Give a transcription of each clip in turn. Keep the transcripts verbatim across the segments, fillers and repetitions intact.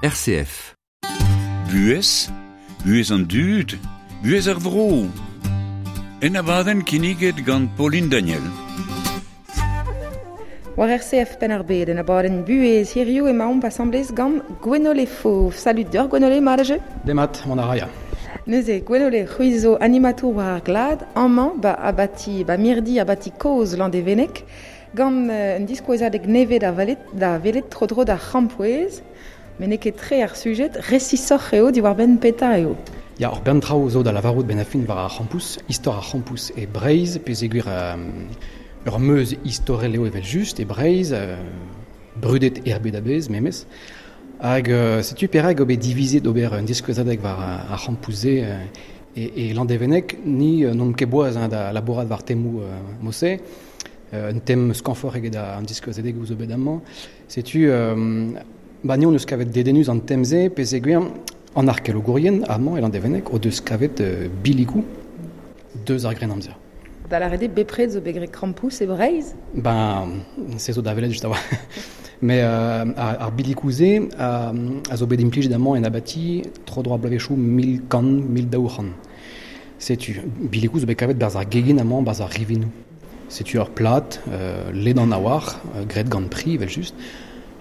R C F. Buhez, buhez an dud, buhez ar vro. En abadenn kinniget gant Pauline Daniel. War R C F Penn-ar-Bed en abadenn buhez hiziv emaomp asambles gant Gwenole Fauve. Salut deoc'h Gwenole, mat a jeu? Demat, mont a ra ya. Neuze, Gwenole, c'hwi zo animatour war ar glad, amañ ba abati, ba mirdi abati kozh Landevenneg, gant euh, un diskouezadeg nevez da valet, da welet tro-dro d'ar c'hrampouezh, met n'eo ket tre ar sujet, resisoc'h eo diwar-benn petra eo. Ya, ur bern traoù zo da lavarout ben a fin war ar c'hrampouezh, istor ar c'hrampouezh e Breizh, pezegur euh, ur meuz istorel eo evel just e Breizh, euh, brudet er bed a-bezh memes. Hag euh, setu perak eo bet divizet ober un diskouezadeg war ar c'hrampouezh-se euh, e, e Landevenneg, ni euh, n'omp ket boaz hein, da labourat war temoù euh, mose. Euh, un tem skañvoc'h eget an diskouezadeg zo bet amañ. Setu, euh, ba ni on eus kavet dedennus an tem-se, pezegur an arkeologourien amañ e Landevenneg o deus kavet euh, biligoù deus ar Grennamzer. Da lâret eo bepred zo bet graet krampouezh e Breizh? Ben, se zo da welet just a-walc'h. Mais euh, ar, ar biligoù-se a, a zo bet implijet amañ en abati tro-dro ar bloavezhioù mil kant, mil daou c'hant. Setu, biligoù zo bet kavet barzh ar gegin amañ, barzh ar rivinoù. Setu ur plat, euh, ledan a-walc'h, euh, graet gant pri, evel just,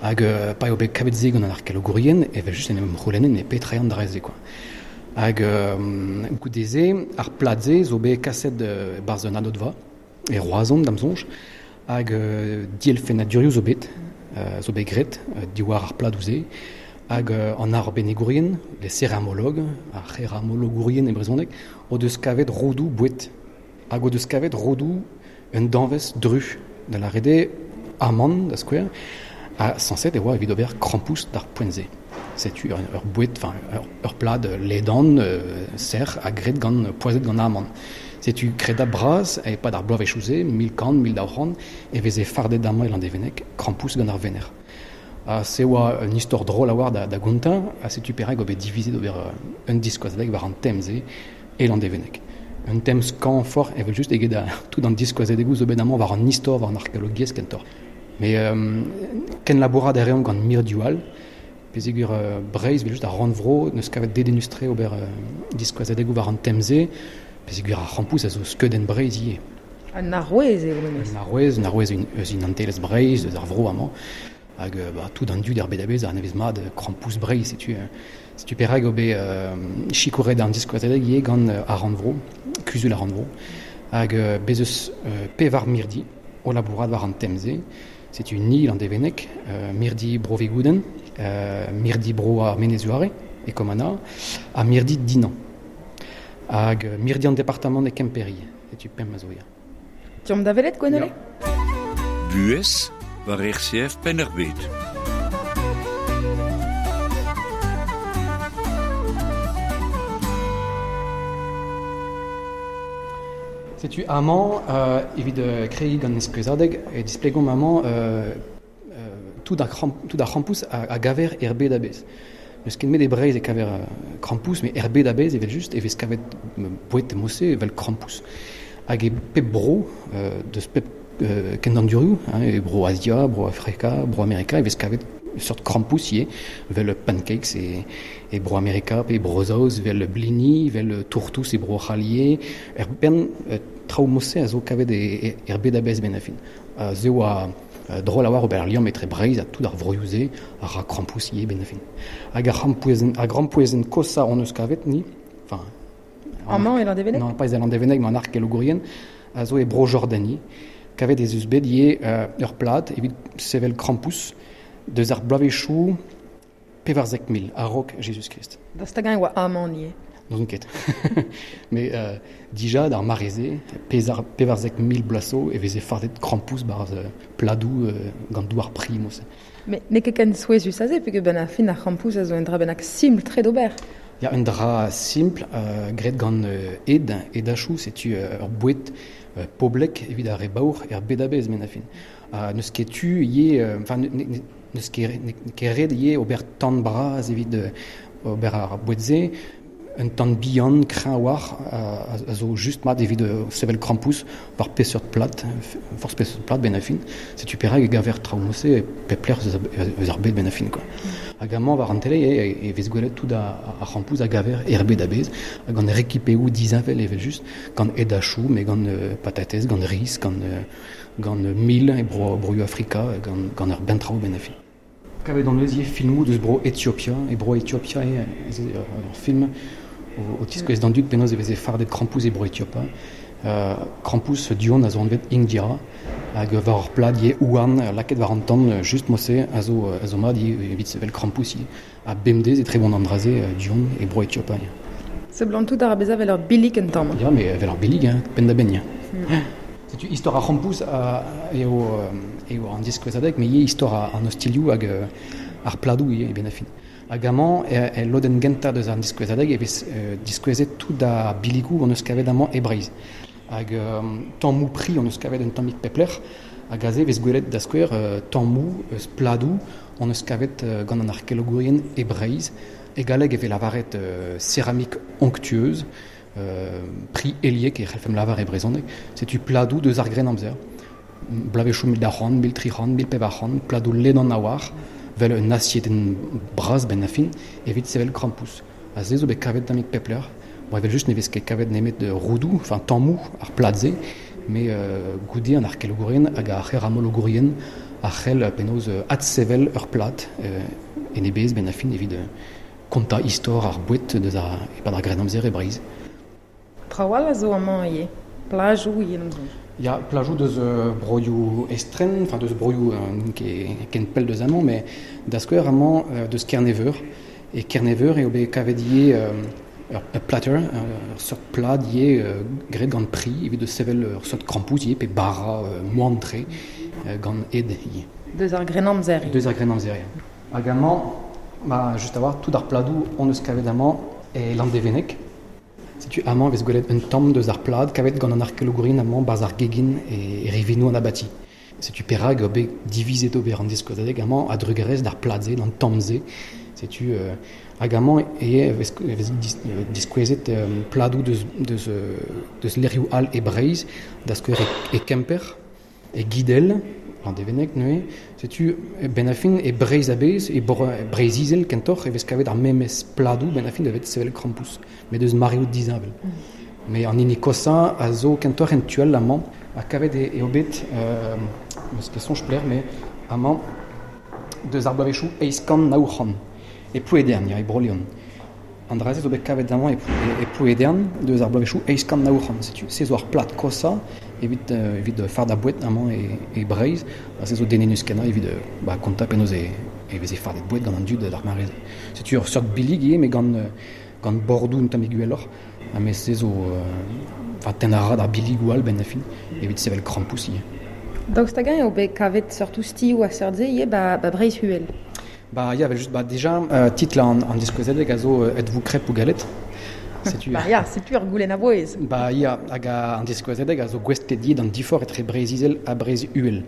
hag euh, pa eo bet kavet se gant an arkeologourien, evel just en em c'houlennen e petra eo an dra-se, quoi. Hag euh, goude-se, ar plat-se zo bet kaset euh, barzh un adodva, e Roazhon da'm soñj, hag euh, dielfennadurioù zo bet, euh, zo bet graet, euh, diwar ar pladoù-se, hag euh, an arbennigourien, les céramologues, ar c'heramologourien e brezhoneg, o deus kavet rodoù boued. Hag o deus kavet rodoù un danvez dru, da lâret eo amann, da skouer, ha sañset e oa evit ober krampouezh d'ar poent-se. Setu ur, ur boued, enfin, ur, ur plad ledan, euh, serr, ha graet gant, poazhet gant amann. Setu kreda bras, e pad ar bloavezhioù-se, mil kant, mil daou c'hant, e veze fardet amañ e Landevenneg, krampouezh gant ar venec'h. Ha se oa un istor drol a-walc'h da, da gontañ, ha setu perak eo bet divizet ober un diskouezadeg war an tem-se e Landevenneg. Un tem skañvoc'h evel just eget a, tout an diskouezadegoù zo bet amañ war an istor, war an arkeologiezh kentoc'h. Mais euh, ken labourat a reomp gant mirdioù all, pezegur euh, Breizh, evel just ar rannvro, neus kavet dedennus-tre ober euh, diskouezadegoù war an tem-se, pezegur ar c'hrampouezh a zo skeudenn Breizh ivez. Un arouez eo memes. Un arouez, un arouez eus identelezh Breizh, eus ar vro amañ. Hag euh, bah, tout an dud er bed a-bezh a anavez mat krampouezh Breizh, setu, euh, setu perak eo bet euh, sikouret an diskouezadeg ivez gant euh, ar rannvro, kuzul ar rannvro. Hag euh, bez eus euh, pevar mirdi o labourat war an tem-se. Setu ni Landevenneg, euh, mirdi bro Vigouden, euh, mirdi bro ar Menez-Zuare, e Komana, ha mirdi Dinan. Hag euh, mirdi an departamant e Kemper, setu pemp a zo ya. Deomp da welet, Gwenole? Ya. Buhez war R C F Penn-ar-Bed. Setu amañ, euh, evit euh, kregiñ gant diskouezadeg, e displegomp amañ, euh, euh, tout ar c'hramp, tout ar c'hrampouezh a, a gaver er bed a-bezh. N'eus ket met e Breizh e kaver, euh, krampouezh, met er bed a-bezh evel just e vez kavet boued mose evel krampouezh. Hag e pep bro, euh, deus pep, euh, kendandurioù, hein, e bro Asia, bro Afrika, bro Amerika, e vez kavet seurt krampouezh ivez, vel pancakes e, e bro Amerika, pe bro Saoz, vel blini, vel tourtous e bro C'halier, er bern, euh, traoù mose a zo kavet e, e, er bed a-bezh ben a fin. A ze oa, euh, drol a oar ober ar liamm etre Breizh ha tout ar vroioù-se a ra krampouezh ivez ben a fin. Hag ar c'hrampouezhenn, ar grampouezhenn kosañ hon eus kavet ni, enfin, Amañ e Landevenneg? Non, pas e Landevenneg, mais an arkeologourien, a zo e bro Jordanie, kavet ez eus bet ivez, euh, ur plad evit sevel krampouezh deus ar bloavezhioù pevarzek mil a-raok Jezuz-Krist. Da stagañ e oa amann ivez. N'ouzon ket. Mais euh, dija d'ar mare-se, pezar, pevarzek mil bloaz zo e veze fardet krampouezh barzh, euh, pladoù, euh, gant douar pri, mose. Mais n'eo ket ken souezhus aze, peogwir ben ar fin ar c'hrampouezh a zo un dra bennak simpl-tre d'ober. Ya, un dra simpl, euh, graet gant, euh, ed, edachoù, setu, euh, ur boued, euh, poblek evit ar re baour er bed a-bezh, men a fin. Ha n'eus ket tu ivez, euh, enfin, ne, ne, n'eus ket, ne, ket ret ivez ober tan bras evit, euh, ober ar boued-se, un tan bihan, kreñv a-walc'h, a, a zo just mat evit, euh, sevel krampouezh war peseurt plat, forzh peseurt plat ben a fin. Setu perak e gaver traoù mose e pep lec'h eus ar, eus ar bed ben a fin, quoi. Hag amañ war an tele e, e vez gwelet tout ar, ar c'hrampouz a gaver er bed a-bezh, hag gant rekipeoù disheñvel evel just, gant edachou, mais gant euh, patatez, gant riz, gant, euh, gant mil e bro, broioù Afrika, gant, gant ur bentraoù ben a fin. Kavet an eus filmoù deus bro Etiopia, e bro Etiopia e, e, ur film o, o tiskouez d'an dud penaos e veze fardet krampouz e bro Etiopia. Euh, krampouz duon a zo anvet India, hag war ur plad ye ouan laket war an tan just mose a zo, a zo mat evit sevel krampouz ye. A bemdez e trebont an draze duon e bro Etiopia. Seblant tout ar bezañ vel ur billig un tamm. Ya, mais vel ur billig, hein, penn da benn, ya. Mm. Setu istor ar c'hrampouz eo, eo an diskouezadeg, mais ivez istor an ostilioù hag ar pladoù ivez e ben a fin. Hag amañ, e, e lodenn gentañ deus an diskouezadeg e vez euh, diskouezet tout ar billigoù on eus kavet amañ e Breizh. Hag euh, tammoù pri on eus kavet un tammig pepler, hag aze vez gwelet da skouer euh, tammoù eus pladoù on eus kavet euh, gant an arkeologourien e Breizh. E galleg e vez lavaret euh, céramique onctueuse, euh, pri eliek e c'hellfem lavar e brezhoneg. Setu pladoù deus ar Grennamzer. Bloavezhioù mil daou c'hant, mil tri c'hant, mil pevar c'hant, pladoù ledan a-walc'h, vel un asiedenn bras ben a fin, evit sevel krampouz. Ha se zo bet kavet tammig pepler. Bon, evel just ne vez ket kavet nemet roudoù, enfin tammoù ar plat-se, mais euh, goude an arkeologourien hag ar c'heramologourien a c'hell penaos adsevel ur plat euh, en e bez ben a fin evit kontañ istor ar boued deus ar e-pad ar Grennamzer e Breizh. Trawal a zo amañ ivez, plajoù ivez n'am soñj. Ya, plajoù deus euh, broioù estren, enfin deus broioù euh, ket ken pell deus amañ, mais da skouer amañ euh, deus Kerneveur. E Kerneveur eo bet kavet ivez euh, ur, ur platter, ur seurt plad ivez euh, graet gant pri, evit deus sevel ur seurt krampouz ivez, pe bara euh, moan-tre euh, gant ed ivez. Deus ar Grennamzer. Deus ar Grennamzer, ya. Hag amañ, ba, just a-walc'h, tout ar pladoù on eus kavet amañ e Landevenneg. Setu amañ vez gwelet un tamm deus ar plad kavet gant an arkeologourien amañ barzh ar gegin e, e rivinoù an abati. Setu perak eo bet divizet ober an diskouezadeg amañ a-drugarez d'ar plad-se, d'an tamm-se. Setu euh, hag amañ e vez, vez dis, diskouezet euh, pladoù deus, deus, deus lec'hioù all e Breizh, da skouer e, e Kemper, e Gidel, Landevenneg neuze. Setu ben a fin e Breizh a-bezh, e Breizh-Izel kentoc'h e vez kavet ar memes pladoù ben a fin da vet sevel krampouz, met deus mareoù disheñvel. Mm. Mais an hini kosañ a zo kentoc'h en tual amañ, ha kavet e, eo bet, euh, meus ket soñj pler, mais amañ deus ar bloavezhioù eizh kant nav c'hant, e Plouedern, ya, e Bro-Leon. An dra-se zo bet kavet amañ e, e, e Plouedern deus ar bloavezhioù eizh kant nav c'hant. Setu se zo ar plad kosañ evit, euh, evit far da boued amañ e, e Breizh, ha se zo denennus kenañ evit euh, ba, kontañ penaos e, e veze fardet boued gant an dud d'ar mare-se. Setu ur seurt billig ivez, mais gant, gant bordoù un tammig uheloc'h, ha mais se zo euh, enfin, tenn a ra d'ar billigoù all ben a fin, evit sevel krampouz ivez. Daoust hag-eñ eo bet kavet seurt oustioù a seurt-se ivez ba, ba Breizh Uhel? Ba ya, just, ba, déjà, euh, titl an, an diskouezadeg a zo euh, êtes-vous crêpe ou galette? Setu Ba ya, setu ur goulenn a-bouez. Ba ya, hag an diskouezadeg a zo gouestlet ivez d'an diforc'h etre Breizh-Izel ha Breizh-Uhel.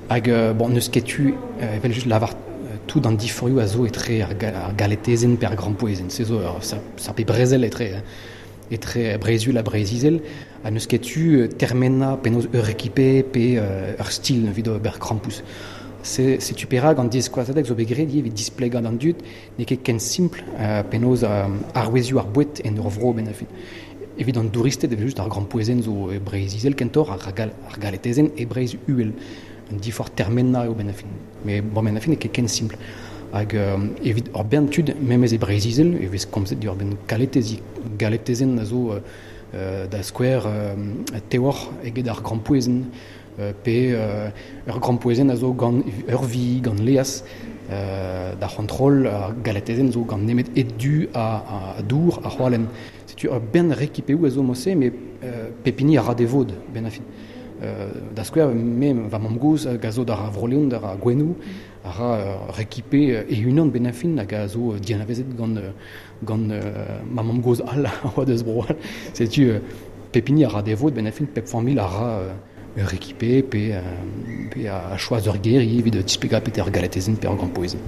Hag, euh, bon, n'eus ket tu, euh, evel just lavar euh, tout an diforioù a zo etre ar, ga, ar galetezenn pe ar grampouezenn. Se zo ur sa, sa pe brezel etre, etre Breizh-Uhel ha Breizh-Izel. Ha n'eus ket tu termenañ penaos ur rekipe pe euh, ur stil evit ober krampouz. Se, setu perak an diskouezadeg zo bet graet ivez evit displegañ d'an dud, n'eo ket ken simpl euh, penaos euh, arouezioù ar boued en ur vro ben a fin. Evit an douristed evel just ar grampouezenn zo e Breizh-Izel kentoc'h, ar, gal, ar galetezenn e Breizh-Uhel. Un diforc'h termenañ eo ben a fin. Mais bon, ben a fin n'eo ket ken simpl. Hag euh, evit ur bern tud, memes e Breizh-Izel, e vez komzet ur bern galetezi, galetezenn a zo euh, da skouer euh, teoc'h eget ar grampouezenn, euh, pe euh, ur grampouezenn a zo gant ur vi, gant leaz, euh, da c'hontrol ar galetezenn zo gant nemet ed-du a, a dour, a c'hoalen. Setu ur bern rekipeoù a zo mose, mais euh, pep hini a ra de vod, ben a fin. Euh, da skouer, me va mamm-gozh hag a zo d'ar Vro-Leon, d'ar Gouenoù, a ra euh, rekipe e-unan ben a fin hag a zo dianavezet gant, gant euh, ma mamm-gozh all a oa deus bro all. Setu euh, pep hini a ra de vod, ben a fin, pep familh a ra euh, ur rekipe pe, euh, pe a choaz ur ger ivez evit displegañ pe ur galetezenn pe ur grampouezenn.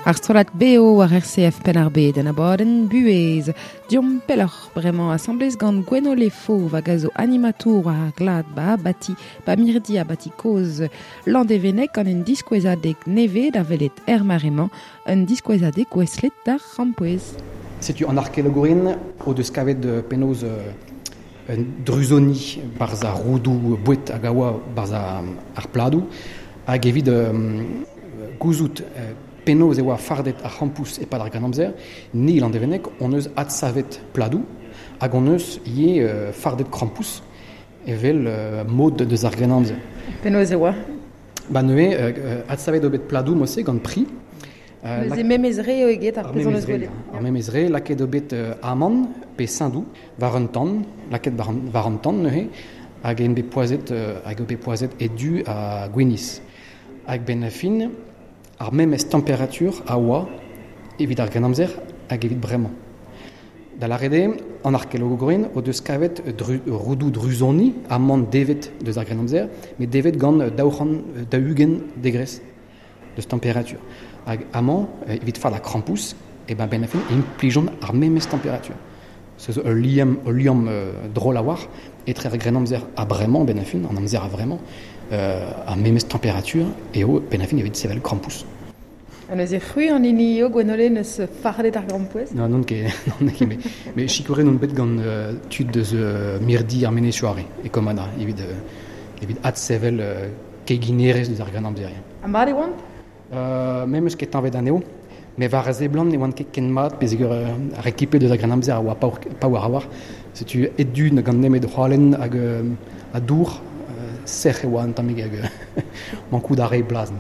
Ar strollad B O war R C F Penn-ar-Bed en abadenn Buhez. Diomp pelloc'h bremañ asambles gant Gwenole Fauve hag a zo animatour war ar glad ba abati ba mirdi abati kozh Landevenneg gant un diskouezadeg nevez da welet er mare-mañ, un diskouezadeg gouestlet d'ar c'hrampouezh. Setu an arkeologourien o deus kavet penaos un druzoni barzh ar roudoù boued hag a oa barzh ar pladoù hag evit gouzout penaos e oa fardet ar c'hrampouezh e-pad ar Grennamzer, ni Landevenneg hon eus adsavet pladoù hag hon eus ivez euh, fardet krampouezh evel euh, mod deus ar Grennamzer. Penaos e oa? Ba neuze, euh, adsavet eo bet pladoù mod-se gant pri. Euh, Neuze memes re eo eget ar pezh hon eus gwelet. Ar memes re, lakaet eo bet euh, amann pe saindoux war un tan, lakaet war an, war an tan neuze, hag eo bet poazhet, euh, hag eo bet poazhet ed-du ha gwinizh. Hag benn ar fin, ar memes temperatur a oa evit ar Grennamzer hag evit bremañ. Da lâret eo, an arkeologourien o deus kavet dru, roudoù druzoni amann devet deus ar Grennamzer, met devet gant daou c'hant daou-ugent degrez deus temperatur. Hag amañ, evit fardañ krampouezh, e ben benn ar fin implijont ar memes temperatur. Se zo ul liamm, ul liamm euh, drol a-walc'h etre ar Grennamzer ha bremañ benn ar fin, an amzer a vremañ, euh, ar memes temperatur eo benn ar fin evit sevel krampouezh. Ha neuze c'hwi an hini eo Gwenole neus fardet ar grampouezh? Non, non ket, non ket, met, met sikouret on bet gant euh, tud deus euh, mirdi ar Menezioù Are e Kommanna evit, euh, evit adsevel euh, keginerezh deus ar Grennamzer. Ha mat e oant? Euh, me 'meus ket tañvaet anezho, met war a seblant ne oant ket ken mat peogwir euh, ar rekipe deus ar Grennamzer a oa paour, paour a-walc'h. Setu ed-du gant nemet hoalen hag euh, ha dour, euh, sec'h e oa un tammig hag euh, mankout a rae blaz.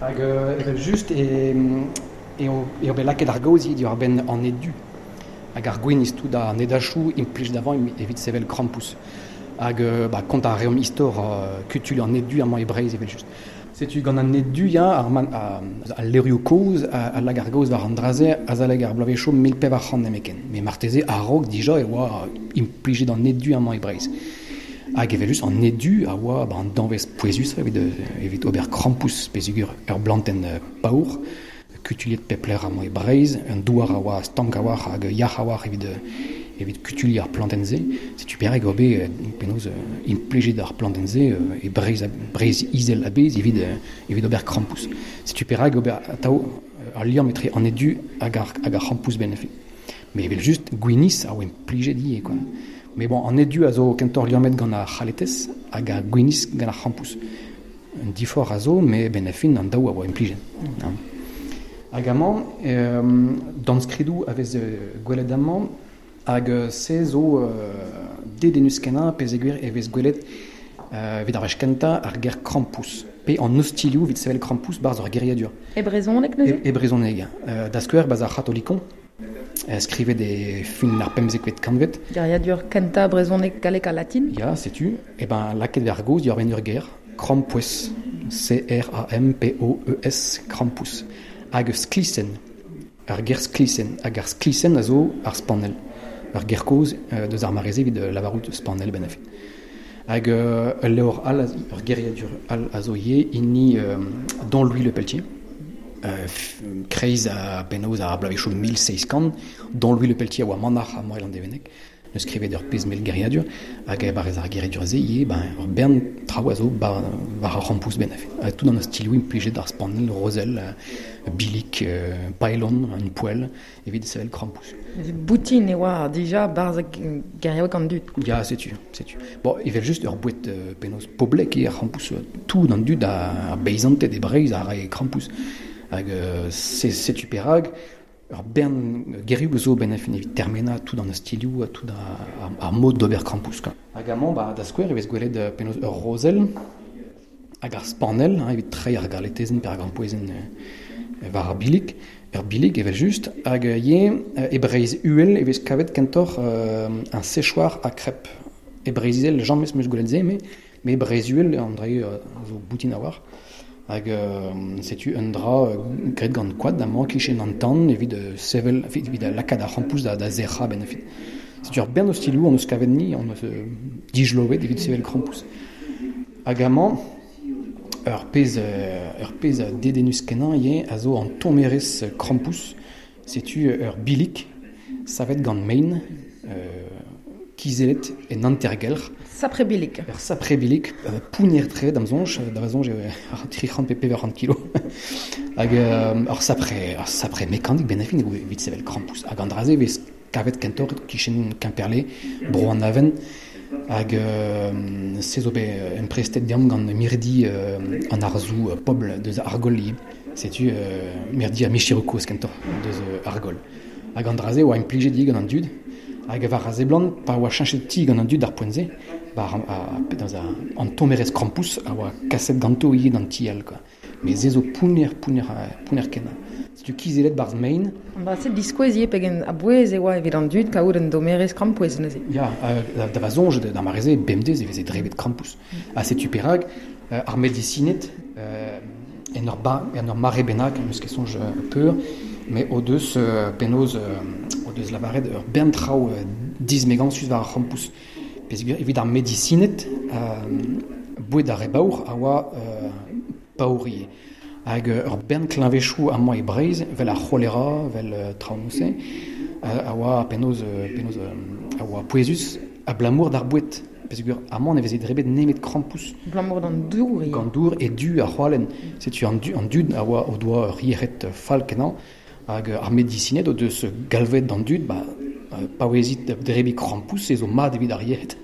Hag euh, evel just e, eo, eo bet lakaet ar gaoz diwar-benn an ed-du. Hag ar gwinizh tout an edachoù implij d'avant evit sevel krampouezh. Hag euh, ba, kontañ a reomp istor euh, kutuilh an ed-du amañ e Breizh evel just. Setu gant an ed-du ya, ar, man, a, al levrioù kozh a, a lak ar gaoz war an dra-se azalek ar bloavezhioù mil pevar c'hant nemetken. Met marteze a-raok dija e oa implijet an ed-du amañ e Breizh. Hag evel just an ed-du a oa ba, an danvez pouezus evit, evit ober krampouezh peogwir ur blantenn paour, kutuilhet pep lec'h amañ e Breizh, un douar a oa stank a-walc'h hag yac'h a-walc'h evit, evit kutuilh ar plantenn-se. Setu perak eo bet penaos implijet ar plantenn-se e Breizh, Breizh izel a-bezh evit, evit ober krampouezh. Setu perak eo bet atav ar liamm etre an ed-du hag ar, hag ar c'hrampouezh benn ar fin. Met evel just gwinizh a oa implijet ivez, quoi. Mais bon, an ed-du a zo kentoc'h liammet gant ar c'haletez hag ar gwinizh gant ar c'hrampouezh. Un diforc'h a zo, met benn ar fin an daou a oa implijet. Mm. Hag amañ, euh, dornskridoù a vez gwelet amañ, hag se zo euh, dedennus kenañ peogwir e vez gwelet euh, evit ar wech kentañ ar ger krampouezh. Pe an ostilhoù evit sevel krampouezh barzh ur geriadur. E brezhoneg neuze? E, e brezhoneg. Euh, da skouer barzh ar C'hatolikon, skrivet e fin ar pemzekvet kantved. Geriadur kentañ brezhoneg gallek ha latin? Ya, setu. E ben lakaet ar gaoz diwar-benn ur ger, krampouezh. C R A M P O E S, krampouezh. Hag sklisenn. Ar ger sklisenn. Hag ar sklisenn a zo ar spanell. Ur ger kozh euh, deus ar mare-se evit lavarout spanell benn ar fin. Hag euh, ul levr all, ur geriadur all a zo ivez, hini euh, Dom Louis Le Pelletier. Euh, kreiz a penaos ar bloavezhioù mil seizh kant, Dom Louis Le Pelletier a oa manac'h amañ e Landevenneg, neus skrivet ur pezh mell geriadur, hag e-barzh ar geriadur-se ivez, ben, ur bern traoù a zo ba, war ar c'hrampouezh benn ar fin. Ha tout an ostilhoù implijet ar spanell, rozell, bilig, euh, paelon, un poell, evit sevel krampouezh. Boutin e oa dija barzh geriaoueg an dud. Ya, setu, setu. Bon, evel just ur boued euh, penaos poblek eo ar c'hrampouezh, tout an dud ar beizanted e Breizh a rae krampouezh. Hag euh, setu perak, ur bern gerioù zo benn ar fin evit termenañ tout an ostilhoù, tout ar, ar mod d'ober krampouezh, quoi. Hag amañ, ba, da skouer e vez gwelet penaos ur rozell hag ar spanell, hein, evit treiñ ar galetezenn pe ar grampouezhenn euh, war ar bilig, ur bilig evel just, hag ivez e Breizh Uhel e vez kavet kentoc'h euh, un séchoir à crêpes. E Breizh Izel, james 'meus gwelet se, met, met Breizh Uhel, an dra euh, zo boutin a-walc'h. Hag euh, setu un dra euh, graet gant koad amañ kichen an tan evit euh, sevel, evit lakaat ar c'hrampouezh da, da sec'hañ benn ar fin. Setu ur bern ostilhoù hon eus kavet ni, hon eus euh, dijoloet evit sevel krampouezh. Hag amañ, Ur pezh, ur pezh dedennus kenañ ivez a zo an tommerez krampouezh. Setu ur bilig savet gant mein, euh, kizellet en hantergelc'h. Sapre bilig. Ur sapre bilig, euh, pounner-tre da'm soñj, da va soñj eo tri c'hant pe pevar c'hant kilo. Hag euh, ur sapre, ur sapre mekanik ben a fin eo evit sevel krampouezh. Hag an dra-se vez kavet kentoc'h kichen Kemperle, bro an Aven. Hag euh, se zo bet emprestet deomp gant mirdi euh, an arzoù euh, pobl deus Argol ivez. Setu euh, mirdi ar micheroù kozh kentoc'h deus euh, Argol. Hag an dra-se oa implijet ivez gant an dud. Hag war a seblant, pa oa cheñchet ti gant an dud d'ar poent-se, ba, a, a, an tommerez krampouezh a oa kaset ganto ivez d'an ti all, quoi. Mais se zo pounner, pounner, pounner kenañ. Setu kizellet barzh mein. An dra-se diskouez ivez pegen a-bouez e oa evit an dud kaout un dommerez krampouezh neuze. Ya, euh, da va soñj, d'ar mare-se, bemdez e veze drebet krampouezh. Ha setu perak, euh, ar medisined, euh, en ur ba, en ur mare bennak, n'eus ket soñj peur, mais o deus euh, penaos euh, o deus lavaret ur bern traoù euh, dismegañsus war ar c'hrampouezh. Peogwir evit ar medisined, euh, boued ar re baour a oa euh, paour ivez. Hag ur bern kleñvedoù amañ e Breizh, vel ar c'holera, vel euh, traoù-se, a oa penaos, penaos a oa pouezus abalamour d'ar boued. Peogwir amañ ne veze drebet nemet krampouezh. Abalamour d'an dour ivez. Gant dour e du ar c'hoalenn. Setu an, du, an dud a oa o doa ur yec'hed fall kenañ. Hag ar medisined o deus galvet d'an dud, ba, paouezit drebiñ krampouezh, se zo mat evit ar yec'hed.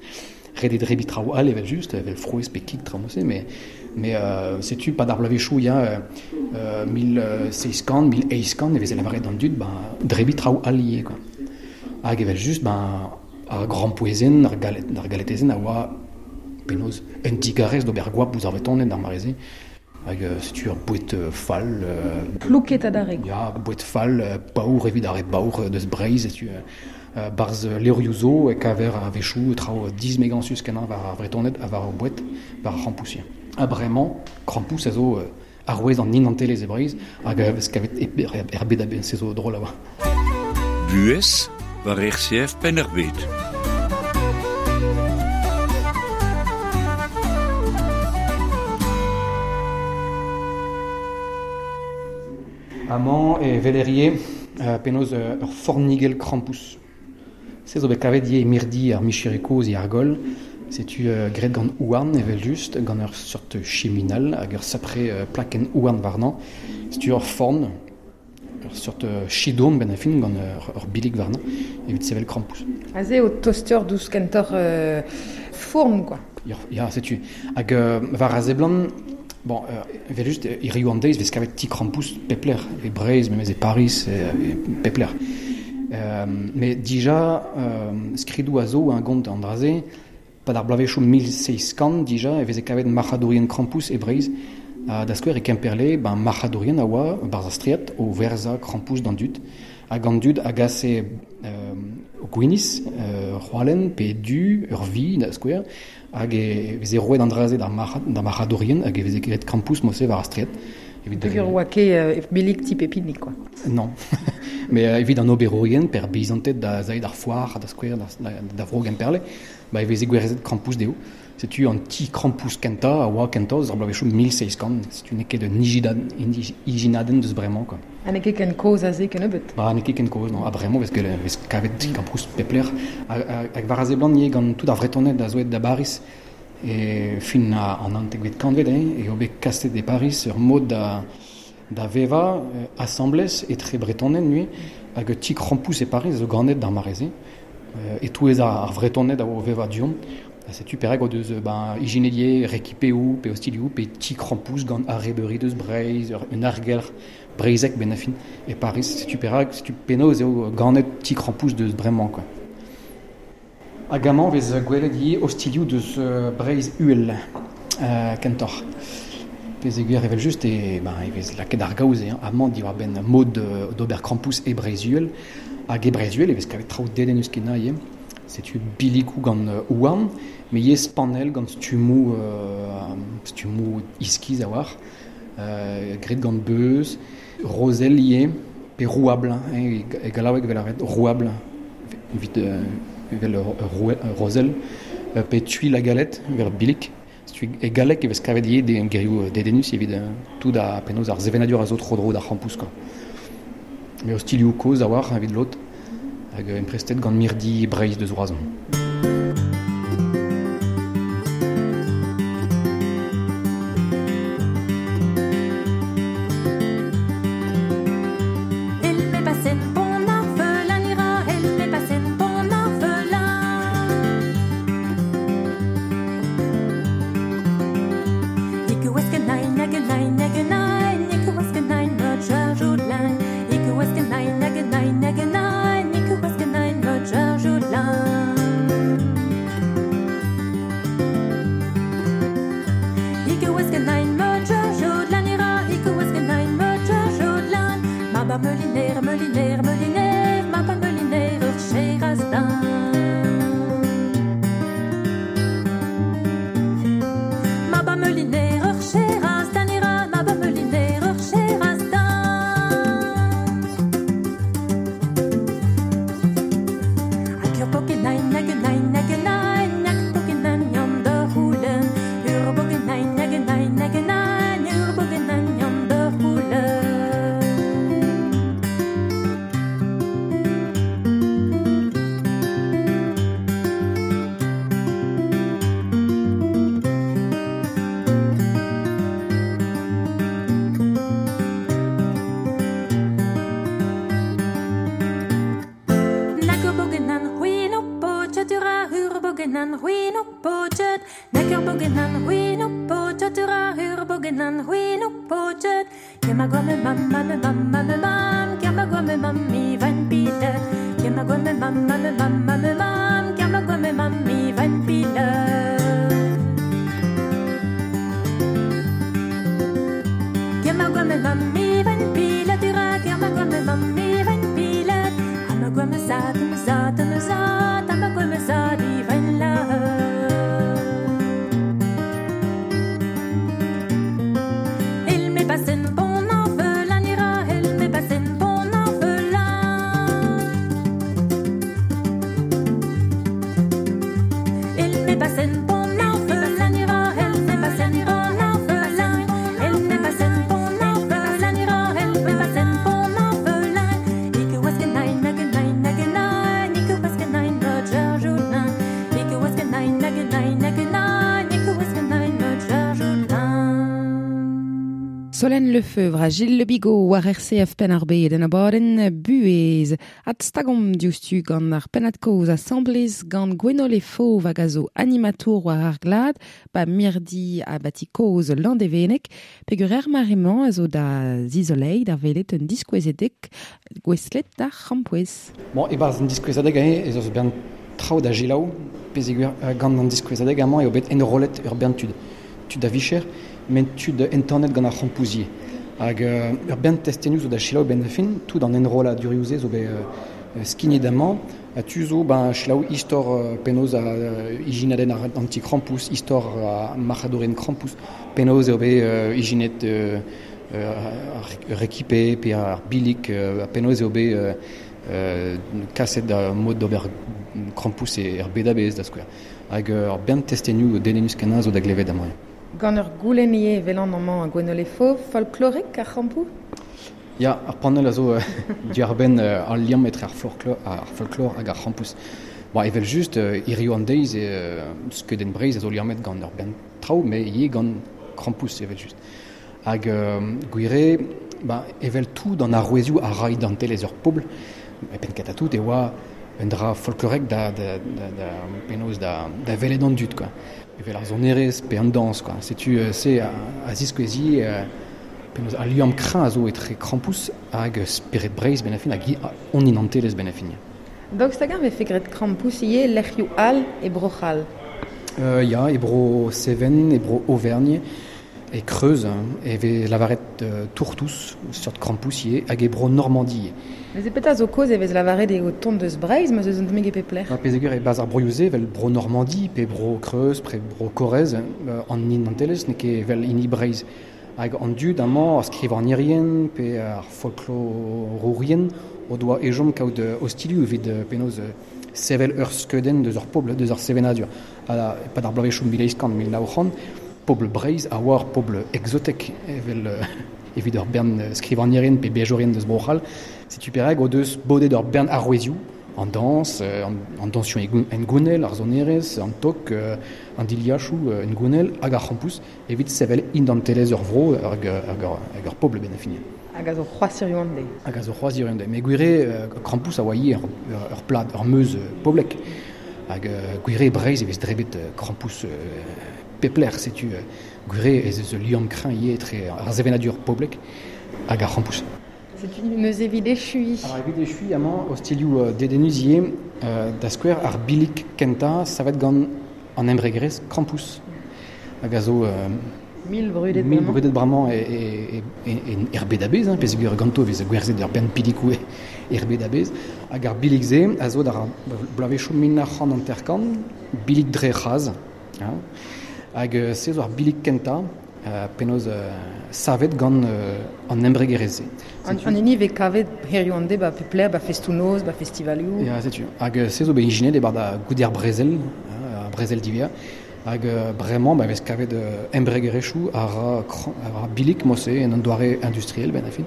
Ret eo drebiñ traoù all evel just, evel frouezh pe kig traoù-se, mais, mais euh, setu pa d'ar bloavezhioù ya euh, mil seizh kant, mil eizh kant e veze lavaret d'an dud, ba, drebiñ traoù all ivez, quoi. Hag evel just, ba, ar grampouezhenn, ar galet, ar galetezenn a oa penaos un digarez d'ober goap ouzh ar Vretoned d'ar mare-se. Hag euh, setu ur boued fall... Euh, Plouket adarre. Ya, boued fall, euh, paour evit ar re baour deus Breizh, setu euh, barzh levrioù zo e kaver a-wechoù traoù dismegañsus kenañ war ar Vretoned ha war ar boued, war ar c'hrampouezh. Ha bremañ, krampouezh a zo euh, arouez an identelezh e Breizh, hag a vez kavet er bed a-bezh, se zo drol a oa. Buhez war R C F Penn-ar-Bed. Amañ e velerie euh, penaos euh, ur fornigell krampouezh. Se zo bet kavet ivez mirdi ar micheroù kozh e Argol. Setu euh, graet gant houarn evel just, gant ur seurt chiminal hag ur sapre euh, plakenn houarn warnañ. Setu ur forn, ur seurt chidourn ben a fin gant ur, ur bilig warnañ evit sevel krampouezh. Aze o toster dous kentoc'h euh, fourn, quoi. Ya, ya, setu. Hag euh, war a seblant, bon, euh, evel just, hiriv an deiz vez kavet ti krampouezh pep lec'h, e Breizh, memes e Paris, e, e pep lec'h. Euh, mais dija, euh, skridoù a zo un gont an dra-se, pa d'ar bloavezhioù mil seizh kant dija, e veze kavet marc'hadourien krampouezh e Breizh. Uh, da skouer e Kemperle, ben, marc'hadourien a oa, barzh ar straed, o verzañ krampouezh d'an dud. Hag an dud a gase euh, o gwiniz, euh, c'hoalen, pe du, ur vi, da skouer, hag e veze roet an dra-se d'ar marc'hadourien, hag e veze graet krampouezh mod-se war ar straed. Evit Peogwir oa ket euh, bilig ti Pepinik, quoi. Non. Mais euh, evit an oberourien, per beizanted da zaet ar foar, da skouer, da, da, da vro Gemperle, ba e veze gwerzhet krampouezh dezho. Setu an ti krampouezh kentañ a oa kentañ eus ar bloavezhioù mil seizh kant. Setu n'eo ket un ijinadenn deus bremañ, quoi. Ha n'eo ket ken kozh aze kennebeut. Ba, n'eo ket ken kozh, non. Ha bremañ vez ket vez kavet ti krampouezh pep lec'h. Hag war a seblant ivez gant tout ar Vretoned a zo aet da Bariz e fin an naontekvet kantved, hein, eo bet kaset e Pariz ur mod da, da vevañ euh, asambles etre Bretoned nuit, hag ti krampouezh e Pariz a zo ganet d'ar mare-se. Euh, e-touez ar, ar Vretoned a oa o vevañ du-hont. Ha setu perak o deus ben, ijinet ivez rekipeoù pe ostilioù pe ti krampouezh gant arrebeuri deus Breizh, un argelc'h breizhek ben a fin e Pariz. Setu perak, setu penaos eo ganet ti krampouezh deus bremañ, quoi. Hag amañ vez gwelet ivez ostilioù deus euh, Breizh Uhel euh, kentoc'h. Peogwir evel just e, ben, e vez lakaet ar gaoz eo, amañ diwar-benn mod d'ober krampouezh e Breizh Uhel. Hag e Breizh Uhel e vez kavet traoù dedennus kenañ ivez. Setu bilikoù gant houarn, mais ivez spanell gant stummoù, euh, stummoù iskis a-walc'h, euh, graet gant beuz, rozell ivez, pe rouabl, hein, e gallaoueg evel ar rouabl, evit euh, evel ur rozel, pe tuil a galette, evel bilik. Setu e galleg e vez kavet ivez de gerioù dedennus evit tout a penaos ar sevenadur a zo tro-dro d'ar c'hrampouezh quoi. Met ostilhoù kozh a-walc'h evit lod hag emprestet gant mirdi Breizh deus Roazhon. Solène Lefebvre a Gilles Le Bigot war R C F Penn-ar-Bed en abadenn buhez. Ad stagomp diouzhtu gant ar pennad-kozh asamblez gant Gwenole Fauve hag a zo animatour war ar glad ba mirdi abati kozh Landevenneg peogwir er mare-mañ a zo da zizoleiñ d'ar welet un diskouezadeg gouestlet d'ar c'hrampouezh. Bon, e-barzh an diskouezadeg ez eus bern traoù da selaou peogwir gant an diskouezadeg amañ eo bet enrollet ur bern tud. Tud a vicher, met tud entanet gant ar c'hrampouezhier. Hag euh, ur bern testenioù zo da selaou benn ar fin, tout an enrolladurioù-se zo bet euh, skignet amañ, ha tu zo ben selaou istor euh, penaos a euh, ijinadenn ar anti-krampouezh, istor a marc'hadourien krampouezh, penaos eo bet euh, ijinet euh, euh, ar rekipe pe ar bilik, euh, penaos eo bet euh, euh, kaset da mod d'ober krampouezh e er bed a-bezh da skouer. Hag ur bern testenioù dedennus kenañ zo da glevet amañ. Gant ur goulenn ivez velan amañ a Gwenole Fauve, folklorek ar c'hrampoù? Ya, ar panel a zo diwar-benn al liamm etre ar folklor, ar folklor hag ar c'hrampouezh. Bon, evel just, hiziv an deiz e skeudenn Breizh a zo liammet gant ur bern traoù, met ivez gant krampouezh evel just. Hag gwir eo, ba, evel tout an arouezioù a ra identelezh ur pobl, e penn kentañ tout e oa un dra folklorek da, da, da, da penaos da, da welet an dud, quoi. Evel ar sonerezh pe an dañs, quoi. Setu euh, se a, a ziskouezi euh, penaos al liamm kreñv a zo etre krampouezh hag spered Breizh benn ar fin hag hon identelezh benn ar fin. Daoust hag-eñ vefe graet krampouezh ivez lec'hioù all e Bro-C'hall? Euh, ya, e Bro Seven, e Bro Auvergne, e Creuse, hein, e vez lavaret euh, tourtous, seurt krampouezh ivez, hag e Bro Normandie. Neuze petra zo kaoz e vez lavaret eo tont deus Breizh, ma zeus un tammig e pep lec'h? Peogwir e barzh ar broioù-se, evel Bro Normandie, pe Bro Creuse, pe Bro Corrèze, euh, an identelezh n'eo ket evel hini Breizh. Hag an dud amañ, ar skrivagnerien pe ar folklorourien o doa ezhomm kaout ostilhoù evit penaos sevel ur skeudenn deus ur pobl, deus ar sevenadur. Ha e-pad ar bloavezhioù mil eizh kant, mil nav c'hant, pobl Breizh a oa ur pobl exotek evel evit ur bern skrivagnerien pe beajourien deus Bro-C'hall. Setu perak o deus bodet ur bern arouezioù, an dañs, an, an dañsioù en gounel, ar sonerezh, an tok, an diliachoù en gounel hag ar c'hrampouz evit sevel identelezh ur vro hag ur pobl ben a fin. Hag a zo c'hoazh hiziv an deiz. Hag a zo c'hoazh hiziv an deiz. Met gwir eo, krampouz a oa ivez ur plad, ur meuz poblek. Hag gwir eo Breizh e vez drebet krampouz pep lec'h, setu gwir eo ez eus ul liamm kreñv ivez etre ar sevenadur poblek hag ar c'hrampouz. Setu neuze evit echuiñ. Alors evit echuiñ amañ ostilhoù dedennus ivez, da skouer ar bilig kentañ savet gant an embregerezh Krampouz. Hag a zo mil brudet mil brudet bremañ e, e, e, er bed a-bezh, hein, peogwir ganto e vez gwerzhet ur bern pilikoù er bed a-bezh. Hag ar bilig-se a zo d'ar bloavezhioù mil nav c'hant hanter-kant, bilig dre c'hras. Hein. Hag se zo ar bilig kentañ penaos savet gant an embregerezh-se. An, an hini vez kavet hiziv an deiz ba pep lec'h, ba festoù-noz, ba festivalioù. Ya, setu. Hag se zo bet ijinet e-barzh da goude ar brezel, ar brezel diwezhañ. Hag bremañ ba vez kavet embregerezhioù a ra, a ra bilig mod-se en un doare industriel ben a fin.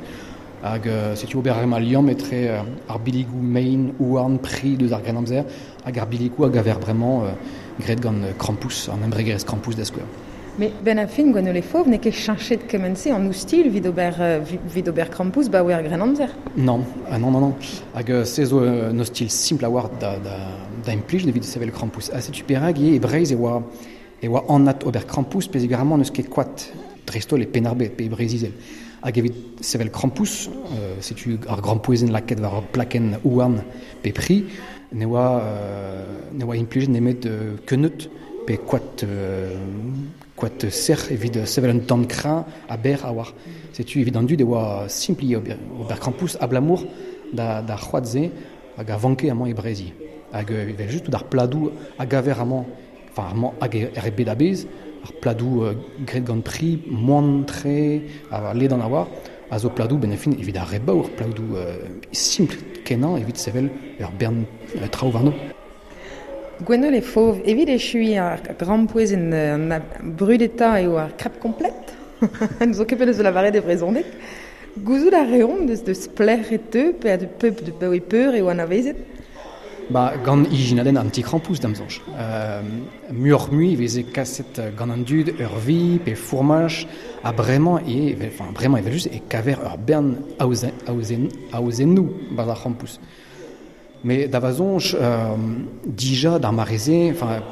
Hag setu ober a reomp liamm etre ar biligoù mein, houarn, pri deus ar Grennamzer hag ar biligoù a gaver bremañ graet gant Krampouz, an embregerezh Krampouz da skouer. Mais ben a fin Gwennole Fauve n'eo ket cheñchet kement-se an oustilh evit ober, evit ober Krampouz ba oa er Grennamzer. Non, ah non, non, non. Hag se zo un ostilh simpl a-walc'h da, da, da implij evit sevel Krampouz. Ha setu perak ivez e Breizh e oa, e oa anat ober Krampouz peogwir n'eus ket koad dreist-holl e Penn-ar-Bed pe e Breizh-Izel. Hag evit sevel Krampouz, euh, setu ar grampouezhenn lakaet war ur plakenn houarn pe pri, ne oa, euh, ne oa implijet nemet euh, keuneud pe koad, euh, koad sec'h evit sevel un tamm kreñv ha berr a-walc'h. Setu evit an dud e oa simpl ivez ober, ober Krampouz abalamour da, da c'hoad-se hag a vanke amañ e Breizh. Hag evel just tout ar pladoù a gaver amañ, enfin amañ hag er bed a-bezh, ar pladoù euh, graet gant pri, moan-tre, a ledan a-walc'h, a zo pladoù ben a fin evit ar re baour, pladoù euh, simpl kenañ evit sevel ur bern euh, traoù warno. Gwennole Fauve, evit echuiñ ar grampouezhenn an brudetañ eo ar crêpe complète. N'zo ket penaos lavaret e brezhoneg. Gouzout a reomp deus deus pelec'h e teu, pe a de pep de pe peur eo anavezet. Ba, gant ijinadenn an ti-krampouz da'm soñj. Euh, muioc'h-mui e veze kaset gant an dud ur vi pe fourmaj ha bremañ e, enfin, bremañ evel just e kaver ur bern aozen, aozen, aozennoù barzh ar c'hrampouz. Mais da va soñj, euh, dija d'ar mare-se, enfin,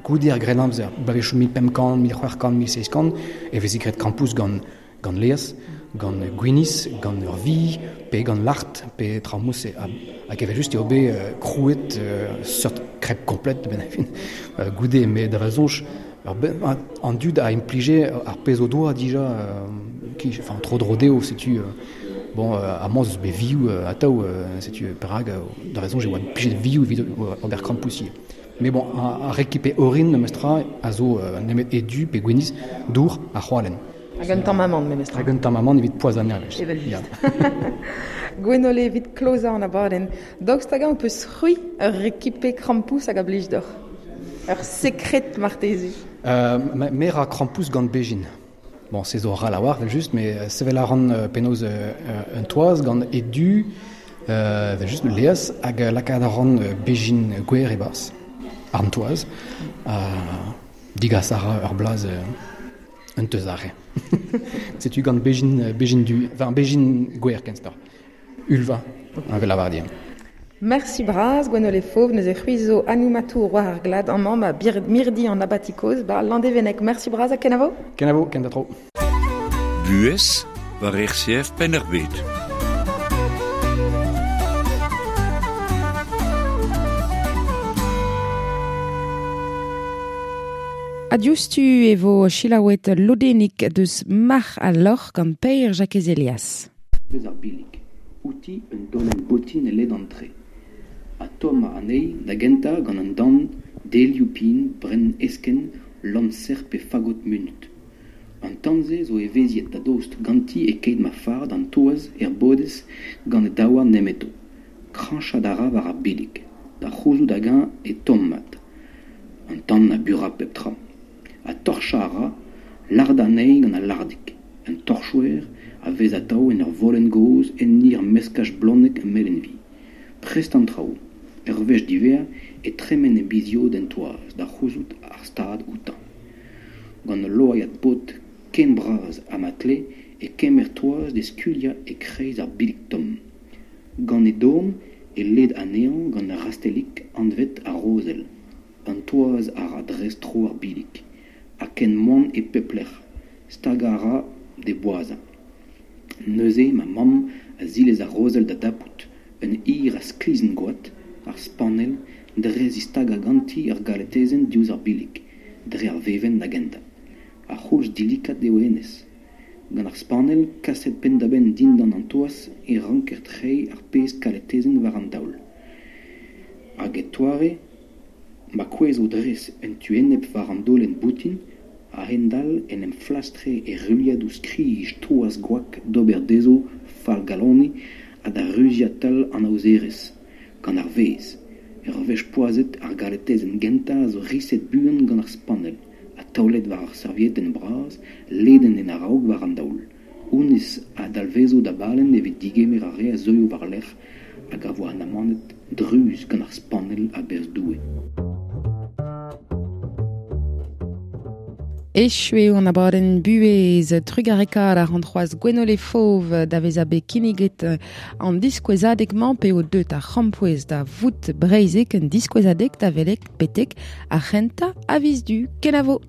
goude ar Grennamzer, bloavezhioù mil pemp kant, mil c'hwec'h kant, mil seizh kant, e veze graet krampouz gant, gant laezh, gant gwinizh, gant ur vi, pe gant lart, pe traoù mod-se. Hag evel just eo bet euh, krouet euh, seurt crêpe complète ben a fin euh, goude, met da va soñj, ur ben, an dud a implije ar pezh o doa dija, euh, ki, enfin, tro dro dezho, setu... Euh, bon, euh, amañ eus bet vioù euh, atav, euh, setu perak, euh, da raison j'ai oa plijet vioù evit ober krampouz ivez. Mais bon, ar rekipe orin memestra a zo euh, nemet edu pe gwinizh, dour ha c'hoalen. Hag un tamm amann memestra. Hag un tamm amann evit poazhañ ar Evel just. Gwennole evit klozañ an abadenn. Daoust hag-eñ ho peus c'hwi ur rekipe krampouz hag a blij deoc'h? Ur sekred marteze? Euh, me ra krampouz gant bezhin. Bon, se zo ral a-walc'h, evel just, met sevel a ran penaos un toaz gant edu, euh, evel just, laezh, hag lakaat a ran bezhin gwer e-barzh, ar toaz, ha digas a ra ur blaz un teuz arre. Setu gant bezhin, bezhin du, enfin, bezhin gwer kentoc'h. Ulva, evel lavar din. Merci bras, Gwennole Fauve, neuze c'hwi zo animatour war ar glad amañ ba bir, mirdi an abati kozh ba Landevenneg. Merci bras ha kenavo. Kenavo, ken da tro. Buhez war R C F Penn-ar-Bed. Ha diouzhtu e vo selaouet lodennig deus Marc'h ha Loc'h gant Pêr Jakez Elias. Deus ar bilig, outi un dolenn botin e ledan tre. Ha tommañ anezhi da gentañ gant an dan, delioù pin, brenn eskenn, lañser pe fagot munut. An tan-se zo evezhiet da dost ganti e-keit ma fard an toaz er bodez gant e daouarn nemeto. Krañchat a ra war ar bilig, da c'houzout hag-eñ e tomm mat. An tan a bura pep tra. Ha torchañ a ra, lardañ anezhi gant al lardig. Un torchouer a vez atav en ur volenn gozh enni ur meskaj bloneg ha melen-vi. Prest an traoù. Ur wech diwezhañ e tremen e biz-yod en toaz da c'houzout ar stad outañ. Gant ul loaiad bod ken bras ha ma tle e kemer toaz d'e skuilhañ e-kreiz ar billig tomm. Gant e dorn e led anezhañ gant ur rastellig anvet ar rozell. An toaz a ra dres tro ar billig, ha ken moan e pep lec'h. Stagañ a ra d'e boazhañ. Neuze ma mamm a zilez ar rozell da dapout un hir a sklisenn-goad, ar spanell, dre zistagañ ganti ar galetezenn diouzh ar billig, dre ar vevenn da gentañ. Ar c'houlz dilikat eo hennezh. Gant ar spanell kaset penn-da-benn dindan an toaz e ranker treiñ ar pezh kaletezenn war an daol. Hag e toare ma kouezho dres en tu enep war an daolenn boutin, a-hend-all en em flastre e ruilhadoù skrij toaz gwak d'ober dezho fallgaloniñ ha da ruziañ tal an aozerez. Gant ar vezh, ur wech poazhet ar galetezenn gentañ a zo riset buan gant ar spanell ha taolet war ar serviedenn bras ledet en a-raok war an daol. Honnezh a dalvezo da balenn evit digemer ar re a zeuio war-lerc'h hag a vo anamannet druz gant ar spanell a-berzh Doue. Echu eo an abadenn buhez trugarekaat ar an c'hoazh Gwenole Fauve da vezañ bet kinniget an diskouezadeg-mañ p'eo deut ar c'hrampouezh da vout breizhek un diskouezadeg da welet betek ar c'hentañ a viz Du. Kenavo.